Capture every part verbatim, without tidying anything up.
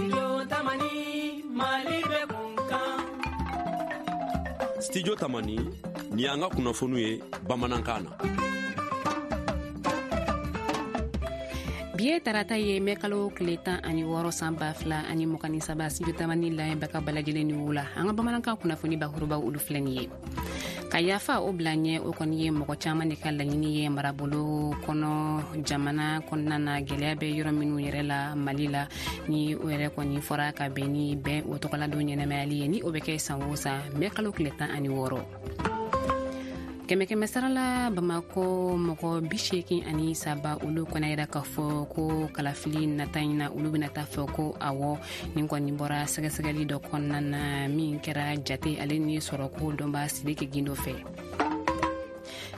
Studio Tamani, Mali bɛ kun kan. Studio Tamani, ni y'an ka kunnafoniw ye bamanankan na. Bi ye tarata ye, mɛ kalo tile tan ani wɔɔrɔ, san ba fila ani mugan ni saba. Studio Tamani lamɛnbaga bɛɛ lajɛlen ni wula. An ka bamanankan kunnafoni bakurubaw, olu filɛ nin ye. Ka yafa o bila ɲɛ, o kɔni ye mɔgɔ caman de ka laɲini ye marabolo kɔnɔ, jamana kɔnɔna na, gɛlɛya bɛ yɔrɔ minnu yɛrɛ la Mali la. Ni o yɛrɛ kɔni fɔra ka bɛn ni bɛn o tɔgɔladon ɲɛnɛmayali ye, ni o bɛ kɛ san o san mɛ kalo tile tan ani wɔɔrɔ. Kɛmɛ kɛmɛ sarala, Bamakɔ mɔgɔ bi seegin ani saba, olu kɔni yira k'a fɔ ko kalafili nata in na, olu bɛna taa fɔ ko awɔ. Nin kɔni bɔra sɛgɛsɛgɛli dɔ kɔnɔna na min kɛra jate ale ni sɔrɔko dɔnba Sidiki Gindo fɛ.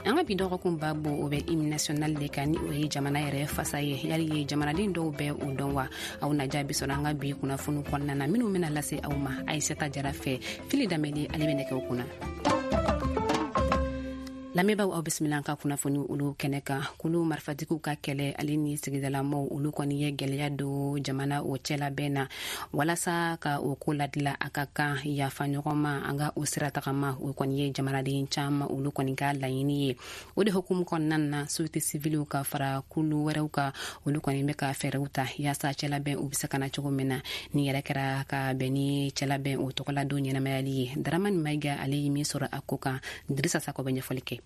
An ka bi dɔgɔkun babo, o bɛ hymne national de kan, ni o ye jamana yɛrɛ fasa ye. Yali ye jamanaden dɔw bɛ o dɔn wa? Aw na jaabi sɔrɔ an ka bi kunnafoni kɔnɔna na minnu bɛna lase aw ma Ayisata Jara fɛ. Fili Danbele, ale bɛ nɛgɛw kunna. Lamɛnbaaw, aw bisimila an ka kunnafoni olu kɛnɛ kan. Kulu marifatigiw ka kɛlɛ ale ni sigidalamɔw, olu kɔni ye gwɛlɛya don jamana o cɛlabɛn na. Walasa ka o ko ladila, a ka kan yafa ɲɔgɔn ma, an ka o sira tagama. O kɔni ye jamanaden caaman olu kɔni ka laɲini ye. O de hukumu kɔnɔna na, société civile ka fara kulu wɛrɛw kan, olu kɔni bɛ ka fɛɛrɛw ta yaasa cɛlabɛn u be se ka na cogo min na. Ni yɛrɛ kɛra ka bɛn ni cɛlabɛn o tɔgɔladon ɲɛnamayali ye. Daramani Mayiga, ale ye min sɔrɔ a ko kan, Dirisa Sakɔ bɛ ɲɛfɔli kɛ.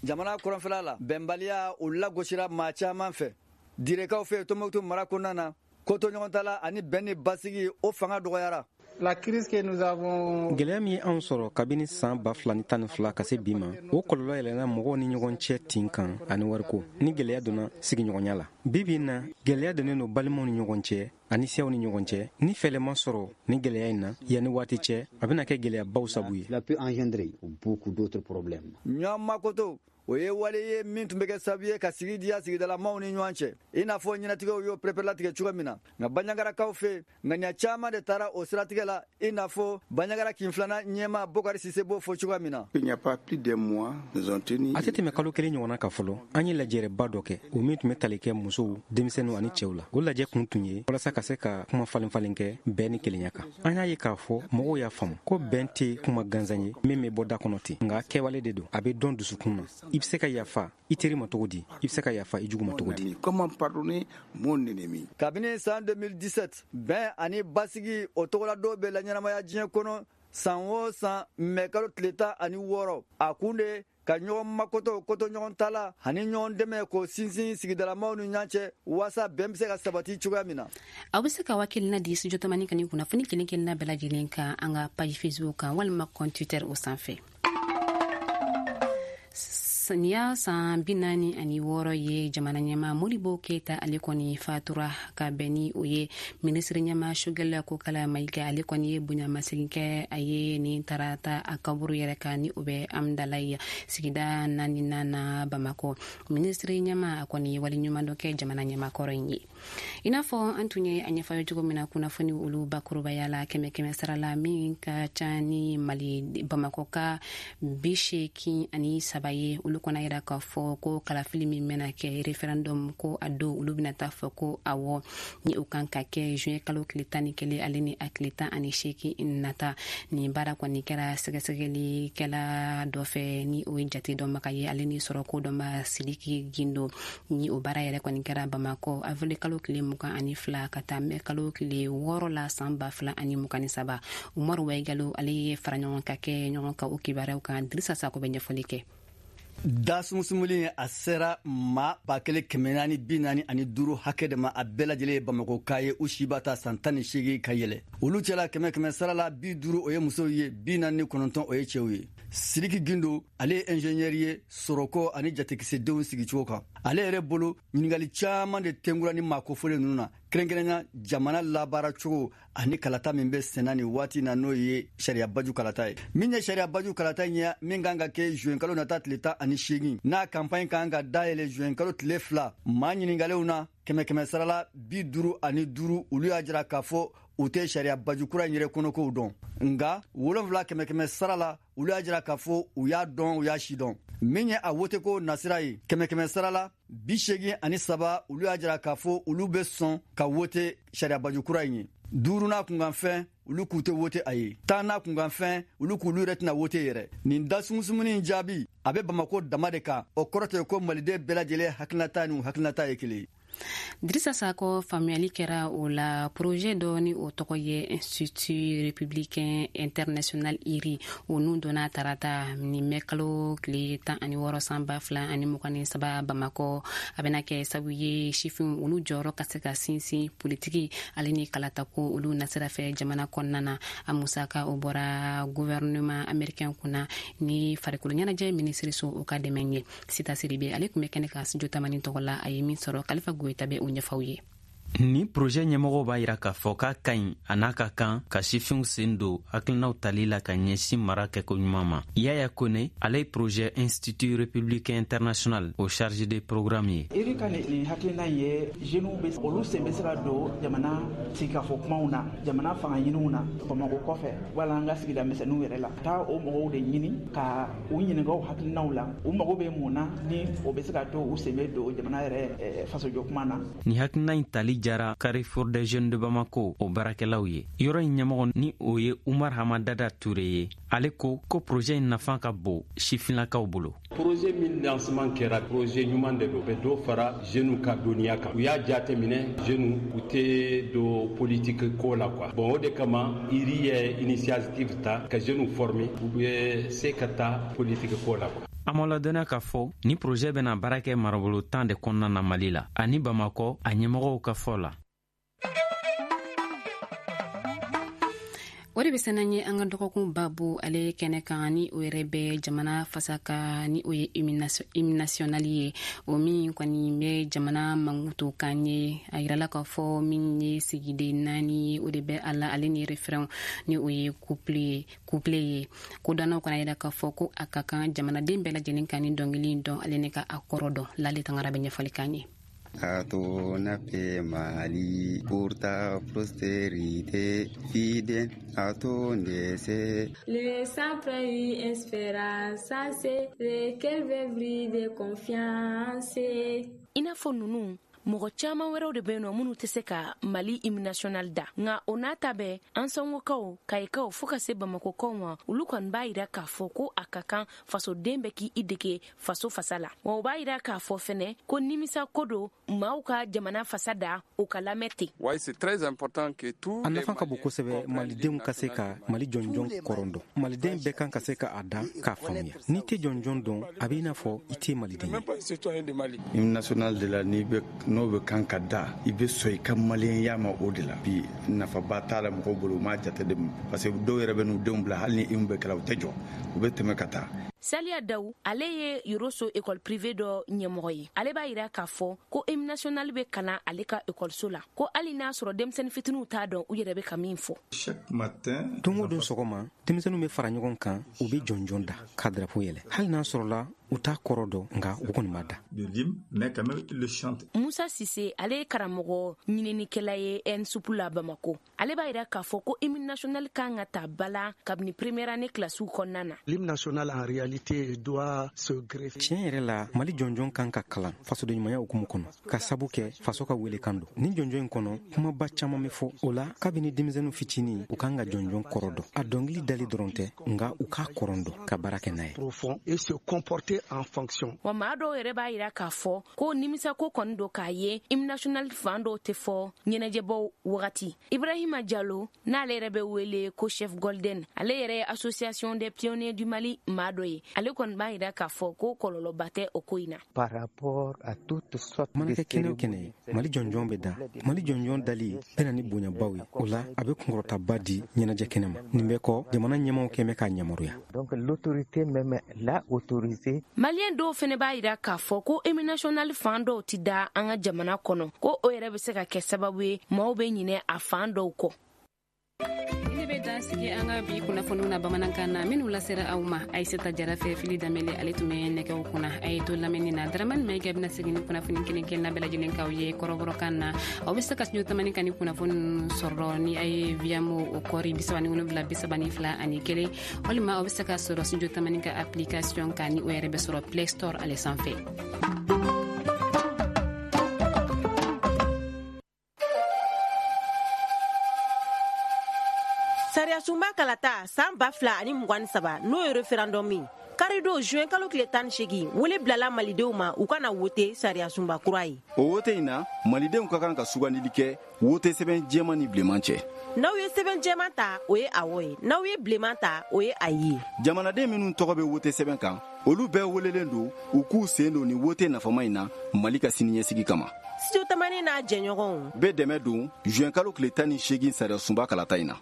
Jamana kɔrɔnfɛla la, bɛnbaliya o lagosira maa caman fɛ. Direkaw fɛ Tɔnbɔkutu mara kɔnɔna na, kotoɲɔgɔn ta la ani bɛn ni basigi, o fanga dɔgɔyara. La crise que nous avons. Gɛlɛya min ye anw sɔrɔ kabini saan ba fila ni tan ni fila ka se bi ma, o kɔlɔlɔ yɛlɛnna mɔgɔw ni ɲɔgɔn cɛ tin kan ani wariko ni gɛlɛya donna sigiɲɔgɔnya la. Bi bi na, gɛlɛya donnen don balimaw ni ɲɔgɔn cɛ ani siyaw ni ɲɔgɔn cɛ. Ni fɛɛrɛ ma sɔrɔ ni gɛlɛya in na yanni waati cɛ, a bɛna kɛ gɛlɛyabaw sabu ye. Cela peut engendrer beaucoup d'autres problèmes. Ɲɔgɔn makoto, o ye wale ye min tun bɛ kɛ sababu ye ka sigi diya sigidalamaw ni ɲɔgɔn cɛ, i n'a fɔ ɲɛnatigɛw y'o pereperelatigɛ cogo min na. Nka Baɲagarakaw fɛ, ŋaniya caman de taara o siratigɛ la, i n'a fɔ Baɲagara kin filanan ɲɛma Bokari Sise b'o fɔ cogoya min na. Il n'y a pas plus d'un mois, nous avons tenu. A tɛ tɛmɛ kalo kelen ɲɔgɔnna ka fɔlɔ, an ye lajɛrɛba dɔ kɛ, o min tun bɛ tali kɛ musow, denmisɛnninw ani cɛw la. O lajɛ kun tun ye walasa ka se ka kuma falen falen kɛ bɛn ni kelenya kan. An y'a ye k'a fɔ mɔgɔw y'a faamu ko bɛn tɛ kuma gansan ye min bɛ bɔ da kɔnɔ ten, nka kɛwale de don, a bɛ dɔn dusukun na. I bɛ se ka yafa i teri ma cogo di? I bɛ se ka yafa i jugu ma cogo di? Comment pardonner mon ennemi? Kabini san deux mille dix-sept, bɛn ani basigi o tɔgɔla bɛ laɲɛnamaya diɲɛ kɔnɔ san o san mɛ kalo tile tan ani wɔɔrɔ. A kun de ka ɲɔgɔn makoto, koto ɲɔgɔn ta la ani ɲɔgɔn dɛmɛ, k'o sinsin sigidalamaw ni ɲɔgɔn cɛ, waasa bɛn bɛ se ka sabati cogoya min na. Aw be se ka hakilina di Studio Tamani ka ni kunnafoni kelen kelenna bɛɛ lajɛlen kan an ka page Facebook kan walima compte Twitter o sanfɛ. Nin y'a san bi naani ani wɔɔrɔ ye jamana ɲɛma Modibo Keyita, ale kɔni fatura. Ka bɛn ni o ye, minisiri ɲɛma Choguel Kokala Mayiga, ale kɔni ye bonyamasegin kɛ a ye nin tarata a kaburu yɛrɛ kan, ni o bɛ Amdalayi sigida naaninan na Bamakɔ. Minisiri ɲɛma, a kɔni ye waleɲuman dɔ kɛ jamana ɲɛmakɔrɔ in ye. I n'a fɔ an tun ye a ɲɛfɔ ye cogo min na kunnafoni olu bakurubaya la, kɛmɛ kɛmɛ sara la, min ka ca ni Mali Bamakɔ ka bi seegin ani saba ye, olu kɔnɔ yira k'a fɔ ko kalafili min bɛna kɛ, référendum, ko a don olu bɛna taa fɔ ko awɔ. Ni o kan ka kɛ juin kalo tile tan ni kelen ale ni a tile tan ani seegin nata. Nin baara kɔni kɛra sɛgɛsɛgɛlikɛla dɔ fɛ, ni o ye jate dɔnbaga ye ale ni sɔrɔko dɔnba Sidiki Gindo. Ni o baara yɛrɛ kɔni kɛra Bamakɔ avril kalo tile mugan ani fila ka taa mɛ kalo tile wɔɔrɔ la san ba fila ani mugan ni saba. Umaru Waigalo, ale ye fara ɲɔgɔn ka kɛ ɲɔgɔn kan o kibaruyaw kan. Dirisa Sako bɛ ɲɛfɔli kɛ. Da sumusumuli, a sera maa ba kelen kɛmɛ naani bi naani ani duuru hakɛ de ma. A bɛɛ lajɛlen ye Bamakɔka ye, u si b'a ta san tan ni seegin ka yɛlɛ. Olu cɛla, kɛmɛ kɛmɛ sara la, bi duuru o ye musow ye, bi naani ni kɔnɔntɔn o ye cɛw ye. Sidiki Gindo, ale ye ingénieur ye sɔrɔko ani jatikisɛdenw sigicogo kan. Ale yɛrɛ bolo, ɲininkali caman de tɛnkura ni maa kofɔlen ninnu na, kɛrɛnkɛrɛnya jamana labaara cogo ani kalata min bɛ senna nin waati na, n'o ye sariya baju kalata ye. Min ye sariya baju kalata in ye min kan ka kɛ juin kalo nata tile tan ani seegin, n'a campagne kan ka dayɛlɛ juin kalo tile fila, maa ɲininkalenw na, kɛmɛ kɛmɛ sarala bi duuru ani duuru, olu y'a jira k'a fɔ u tɛ sariya baju kura in yɛrɛ kɔnɔkow dɔn. Nga wolonfila kɛmɛ kɛmɛ sara la, olu y'a jira k'a fɔ u y'a dɔn, u y'a si dɔn. Min ye a woteko nasira ye, kɛmɛ kɛmɛ sara la bi seegin ani saba, olu y'a jira k'a fɔ olu bɛ sɔn ka wote sariya baju kura in ye. Duuru n'a kunkanfɛn, olu k'u tɛ wote a ye. Tan n'a kunkanfɛn, olu k'olu yɛrɛ tɛna wote yɛrɛ. Nin da sumusumuni in jaabi a bɛ Bamako dama de kan. O kɔrɔ tɛ ko maliden bɛɛ lajɛlen hakilinata ni u hakilinata ye kelen ye. Drissa Sako, faamuyali kɛra o la projet dɔ ni o tɔgɔ ye Institut républicain international I R I, o nun donna tarata ni mɛ kalo tile tan ani wɔɔrɔ san ba fila ani mugan ni saba Bamakɔ. A bɛna kɛ sabu ye sifin olu jɔyɔrɔ ka se ka sinsin politiki ale ni kalatako olu nasira fɛ jamana kɔnɔna na. A musaka o bɔra gouvernement américain kunna ni farikolo ɲɛnajɛ minisiriso o ka dɛmɛ ye. Sita Siribe, ale tun bɛ kɛnɛ kan Studio Tamani tɔgɔ la. A ye min sɔrɔ, Kalifa Goyita bɛ o ɲɛfɔ ye. Ni projet ɲɛmɔgɔw b'a yira k'a fɔ k'a ka ɲi, a n'a ka kan ka sifinw sen don hakilinaw tali la ka ɲɛsin mara kɛko ɲuman ma. Yaya Kone, ale ye projet Institut républicain international o chargé de programme ye. I R I ka nin hakilina ye, jeunes bɛ olu sen bɛ se ka don jamana sigikafɔ kumaw na, jamana fanga ɲiniw na Bamakɔ kɔfɛ wala an ka sigida misɛnninw yɛrɛ la, taa o mɔgɔw de ɲini ka u ɲininka u hakilinaw la, u mago bɛ mun na, ni o bɛ se ka to u sen bɛ don jamana yɛrɛ fasojɔ kuma na. Nin hakilina in tali jara Carrefour des jeunes de Bamako o baarakɛlaw ye. Yɔrɔ in ɲɛmɔgɔ ni o ye Umar Hamadada Ture ye, ale ko ko projet in nafa ka bon sifinlakaw bolo. Projet min lancement kɛra, projet ɲuman de don, bɛ dɔ fara jeunes ka dɔnniya kan. U y'a jate minɛ, jeunes u tɛ don politique ko la quoi. Bon, o de kama I R I ye initiative ta ka jeunes former, u bɛ se ka taa politique ko la quoi. An ma ladɔnniya k'a fɔ ni projet bɛna baara kɛ marabolo tan de kɔnɔna na Mali la ani Bamakɔ, a ɲɛmɔgɔw ka fɔ la. O de bɛ se n'an ye an ka dɔgɔkun babu ale kɛnɛ kan, ni o yɛrɛ bɛ jamana fasa ka, ni o ye hymne national ye, o min kɔni bɛ jamana mankutu kan ye. A yirala k'a fɔ min ye sigiden naani ye, o de bɛ a la, ale ni refrain ni o ye couplet ye couplet ye Kodɔnnaw kana yira k'a fɔ ko a ka kan jamanaden bɛɛ lajɛlen kan ni dɔnkili in dɔn, ale ni ka a kɔrɔ dɔn. Lale Tangara bɛ ɲɛfɔli k'an ye. À ton paix Mali, pour ta postérité, fidèle à ton décès. Le sang une espérance, lequel vivre de confiance. I n'a fɔ ninnu, mɔgɔ caman wɛrɛw de bɛ yen nɔ minnu tɛ se ka Mali hymne national da. Nka o n'a ta bɛɛ, an sɔngokaw, kayikaw, fo ka se Bamakokaw ma, olu kɔni b'a yira k'a fɔ ko a ka kan fasoden bɛ k'i dege faso fasa la. Wa o b'a yira k'a fɔ fɛnɛ ko nimisa ko don maaw ka jamana fasa da, o ka lamɛn ten. A nafa ka bon kosɛbɛ malidenw ka se ka Mali jɔnjɔn kɔrɔ dɔn. Maliden bɛɛ kan ka se ka a da k'a faamuya. N'i tɛ jɔnjɔn dɔn, a b'i n'a fɔ i tɛ maliden ye. Hymne national de la, n'i bɛ n'o bɛ kan ka da, i bɛ sɔn i ka maliyɛnya ma. O de la bi nafaba t'a la mɔgɔw bolo, u m'a jate de, parce que dɔw yɛrɛ bɛ n'u denw bila, hali ni hymne bɛ kɛla, u tɛ jɔ, u bɛ tɛmɛ ka taa. Saliya Daw, ale ye Yoroso école privée dɔ ɲɛmɔgɔ ye. Ale b'a yira k'a fɔ ko hymne national bɛ kalan ale ka ekɔliso la, ko hali n'a sɔrɔ denmisɛnnin fitininw t'a dɔn u yɛrɛ bɛ ka min fɔ. Don o don sɔgɔma, denmisɛnninw bɛ fara ɲɔgɔn kan, u bɛ jɔnjɔn da ka drapeau yɛlɛ, hali n'a sɔrɔla u t'a kɔrɔ dɔn, nka u kɔni b'a da. Musa Sise, ale ye karamɔgɔ ɲininikɛla ye ENSUP la Bamako. Ale b'a yira k'a fɔ ko hymne national kan ka ta bala kabini première année kilasiw kɔnɔna na. L'hymne national en réalité doit se greffer. Tiɲɛ yɛrɛ la, Mali jɔnjɔn kan ka kalan fasodenɲumanya hukumu kɔnɔ, ka sabu kɛ faso ka welekan don. Ni jɔnjɔn in kɔnɔ, kumaba caman bɛ fɔ o la. Kabini denmisɛnnin fitinin, u kan ka jɔnjɔn kɔrɔ dɔn. A dɔnkili dali dɔrɔn tɛ, nka u k'a kɔrɔ dɔn ka baara kɛ n'a ye. Profond et se comporter en fonction. Wa maa dɔw yɛrɛ b'a yira k'a fɔ ko nimisako kɔni don k'a ye hymne national fan dɔw tɛ fɔ ɲɛnajɛbaw wagati. Ibrahima Jalo, n'ale yɛrɛ bɛ wele ko Chef Golden, ale yɛrɛ ye Association des pionniers du Mali maa dɔ ye. Ale kɔni b'a yira k'a fɔ ko kɔlɔlɔba tɛ o ko in na. Mana kɛ kɛnɛ o kɛnɛ ye, Mali jɔnjɔn bɛ da. Mali jɔnjɔn dali bɛ na ni bonyabaw ye. O la a bɛ kunkɔrɔtaba di ɲɛnajɛ kɛnɛ ma. Nin bɛɛ kɔ, jamana ɲɛmaw kɛn bɛ k'a yamaruya. Maliyɛn dɔw fɛnɛ b'a yira k'a fɔ ko hymne national fan dɔw ti da an ka jamana kɔnɔ, ko o yɛrɛ bɛ se ka kɛ sababu ye maaw bɛ ɲinɛ a fan dɔw kɔ. Ne bɛ dan sigi an ka bi kunnafoniw na bamanankan na minnu lasera aw ma Ayisata Jara fɛ. Fili Danbele, ale tun bɛ nɛgɛw kunna. A ye to lamɛnni na. Daramani Mayiga bɛna segin ni kunnafoni kelen kelenna bɛɛ lajɛlen k'aw ye kɔrɔbɔrɔkan na. Aw bɛ se ka Studio Tamani ka ni kunnafoni ninnu sɔrɔ ni a ye Viamo o kɔri bisaba ni wolonwula bisaba ni fila ani kelen, walima aw bɛ se ka sɔrɔ Studio Tamani ka application kan, ni o yɛrɛ bɛ sɔrɔ Play Store ale sanfɛ. Sariyasunba kalata san ba fila ani mugan ni saba, n'o ye référendum ye, karidon juin kalo tile tan ni seegin, wele bilala malidenw ma u ka na wote sariyasunba kura ye. O wote in na, malidenw ka kan ka sugandili kɛ wote sɛbɛn jɛman ni bilenman cɛ. N'aw ye sɛbɛn jɛman ta, o ye awɔ ye. N'aw ye bilenman ta, o ye ayi ye. Jamanaden minnu tɔgɔ bɛ wote sɛbɛn kan, olu bɛɛ welelen don u k'u sen don ni wote nafama in na Mali ka siniɲɛsigi kama. Studio Tamani n'a jɛɲɔgɔnw bɛ dɛmɛ don juin kalo tile tan ni seegin sariyasunba kalata in na.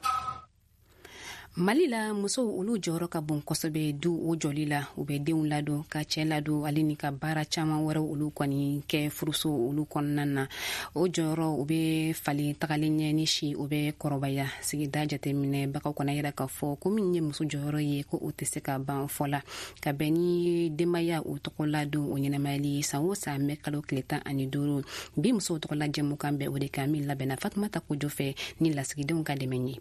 Mali la, musow olu jɔyɔrɔ ka bon kosɛbɛ du o jɔli la. U bɛ denw ladon, ka cɛɛ ladon, ale ni ka baara caman wɛrɛw olu kɔni kɛ furuso olu kɔnɔna na. O jɔyɔrɔ u bɛ falen tagalen ɲɛ ni si o bɛ kɔrɔbaya. Sigida jateminɛbagaw kɔnɔ yira k'a fɔ ko min ye muso jɔyɔrɔ ye, ko o tɛ se ka ban fɔ la. Ka bɛn ni denbaya o tɔgɔ ladon o ɲɛnamayali san o san mɛ kalo tile tan ani duuru, bi musow tɔgɔla jɛmukan bɛ o de kan, min labɛnna Fatumata Kojo fɛ ni lasigidenw ka dɛmɛ ye.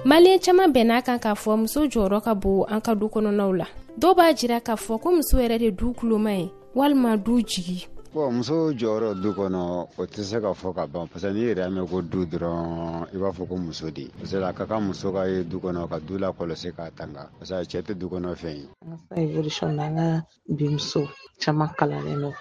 Maliyɛn caman bɛn'a kan k'a fɔ muso jɔyɔrɔ ka bon an ka du kɔnɔnaw la. Dɔw b'a jira k'a fɔ ko muso yɛrɛ de du kuloma ye walima du jigi. Bon, muso jɔyɔrɔ du kɔnɔ, o tɛ se ka fɔ ka ban, parce que n'i yɛrɛ y'a mɛn ko du dɔrɔn, i b'a fɔ ko muso de, parce que a ka kan muso ka ye du kɔnɔ ka du lakɔlɔsi k'a tanga, parce que cɛ tɛ du kɔnɔ fɛn ye. An ka évolution na, an ka bi muso caman kalannen don,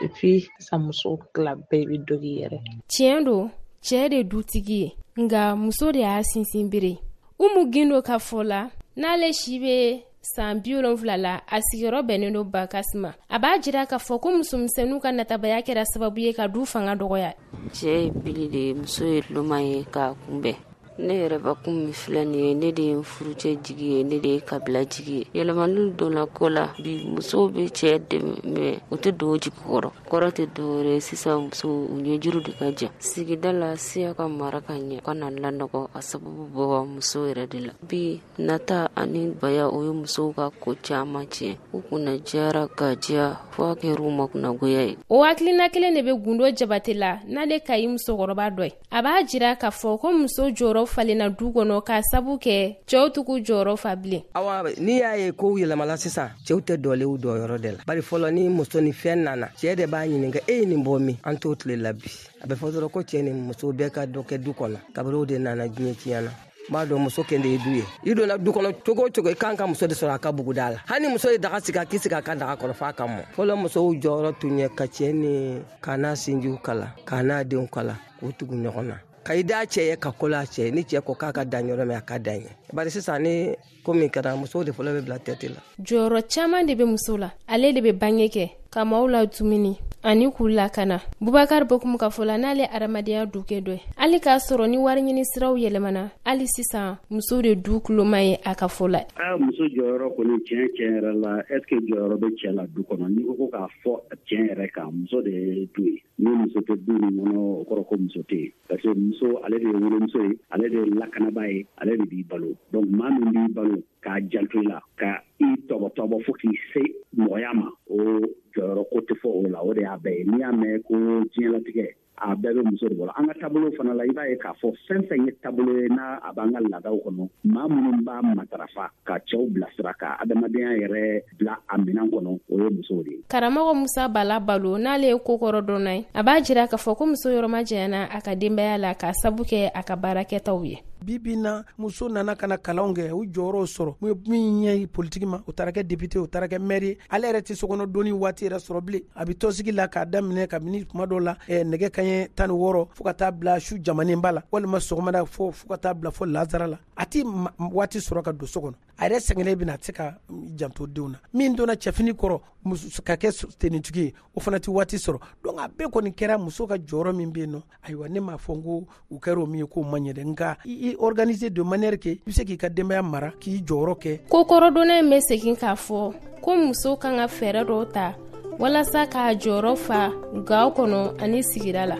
et puis sisan musow tila bɛɛ bɛ dɔ k'i yɛrɛ. Tiɲɛ don, cɛɛ de dutigi ye, nka muso de y'a sinsin bere. Umu Gindo ka fɔ la, n'ale si bɛ san bi wolonfila la, a sigiyɔrɔ bɛnnen don Bakasi ma. A b'a jira k'a fɔ ko musomisɛnninw ka natabaya kɛra sababu ye ka du fanga dɔgɔya. Cɛ ye bili de ye, muso ye loma ye k'a kunbɛn. Ne yɛrɛ bakun min filɛ nin ye, ne de ye n furucɛ jigi ye, ne de ye kabila jigi ye. Yɛlɛmaniw donna ko la bi, musow bɛ cɛ dɛmɛ, mɛ u tɛ don jigi kɔrɔ. Kɔrɔ tɛ dɔwɛrɛ ye, sisan musow u ɲɛjuru de ka jan. Sigida la, siya ka mara ka ɲɛ, ka na lanɔgɔ, a sababu bɔ musow yɛrɛ de la. Bi nata ani baya, o ye musow ka ko caman tiɲɛ. U kunna jara ka diya fo a kɛr'u ma kunnagoya ye. O hakilina kelen de bɛ Gundo Jabate la, n'ale ka ɲi musokɔrɔba dɔ ye. A b'a jira k'a fɔ ko muso jɔyɔrɔ falenna du kɔnɔ k'a sabu kɛ cɛw tugu jɔyɔrɔ fa bilen. Awa, n'i y'a ye kow yɛlɛmala sisan, cɛw tɛ dɔlen dɔyɔrɔ de la, bari fɔlɔ ni muso ni fɛn nana, cɛɛ de b'a ɲininka e ye nin bɔ min. An t'o tile la bi. A bɛ fɔ dɔrɔn ko cɛɛ ni muso bɛɛ ka dɔ kɛ du kɔnɔ. Kabini o de nana diɲɛ tiɲɛ na, n b'a dɔn muso kɛn de ye du ye. I donna du kɔnɔ cogo o cogo, i kan ka muso de sɔrɔ a ka buguda la. Hali muso ye daga sigi, a k'i sigi a ka daga kɔrɔ f'a ka mɔ. Fɔlɔ musow jɔyɔrɔ tun ye ka cɛɛ ni k'a n'a sinjiw kala, k'a n'a denw kala, k'u tugu ɲɔgɔn na, ka i da cɛ ye, ka kolo a cɛ ye. Ni cɛ ko k'a ka dan yɔrɔ min, a ka dan ye. Bari sisan ni ko min kɛra, musow de fɔlɔ bɛ bila tɛti la. Jɔyɔrɔ caman de bɛ muso la. Ale de bɛ bange kɛ ka maaw la dumuni ani k'u lakana. Bubakari Bokumu ka fɔ la, n'ale adamadenya dukɛ dɔ ye, hali k'a sɔrɔ ni wari ɲini siraw yɛlɛmana, hali sisan muso de du kuloma ye a ka fɔ la. Aa, muso jɔyɔrɔ kɔni, tiɲɛ tiɲɛ yɛrɛ la, est ce que jɔyɔrɔ bɛ cɛ la du kɔnɔ? N'i ko ko k'a fɔ tiɲɛ yɛrɛ kan, muso de ye du ye. Ni muso tɛ du min kɔnɔ, o kɔrɔ ko muso tɛ yen, parce que muso ale de ye wolomuso ye, ale de ye lakanabaa ye, ale de b'i balo. Donc maa min b'i balo k'a janto i la, ka i tɔbɔtɔbɔ fo k'i se mɔgɔya ma, o jɔyɔrɔ ko tɛ fɔ o la. O de y'a bɛɛ ye. N'i y'a mɛn ko diɲɛlatigɛ, a bɛɛ bɛ muso de bolo. An ka taabolo fana la, i b'a ye k'a fɔ fɛn fɛn ye taabolo ye n'a a b'an ka laadaw kɔnɔ, maa minnu b'a matarafa ka cɛw bilasira, ka adamadenya yɛrɛ bila a minɛn kɔnɔ, o ye musow de ye. Karamɔgɔ Musa Bala Balo, n'ale ye kokɔrɔ dɔnna ye, a b'a jira k'a fɔ ko muso yɔrɔ ma janyana a ka denbaya la k'a sabu kɛ a ka baarakɛtaw ye. Bi bi na, muso nana ka na kalanw kɛ, u jɔyɔrɔw sɔrɔ min ɲɛ politiki ma, u taara kɛ député, u taara kɛ maire ye. Ale yɛrɛ tɛ sokɔnɔ donni waati yɛrɛ sɔrɔ bilen. A bɛ tɔnsigi la k'a daminɛ kabini tuma dɔw la nɛgɛ kanɲɛ tan ni wɔɔrɔ fo ka taa bila su jamanenba la, walima sɔgɔmada fo fo ka taa bila fo lazara la. A tɛ waati sɔrɔ ka don so kɔnɔ. A yɛrɛ sɛgɛnnen bɛna, a tɛ se ka janto denw na. Min donna cɛfini kɔrɔ ka kɛ tenitigi ye, o fana tɛ waati sɔrɔ. Donc a bɛɛ kɔni kɛra muso ka jɔyɔrɔ min bɛ yen nɔ. Ayiwa, ne m'a fɔ n ko u kɛra o min ye k'o man ɲɛ dɛ, nka i organiser de manière que i bɛ se k'i ka denbaya mara, k'i jɔyɔrɔ kɛ. Kokɔrɔdonna in bɛ segin k'a fɔ ko muso kan ka fɛɛrɛ dɔw ta walasa k'a jɔyɔrɔ fa gaw kɔnɔ ani sigida la.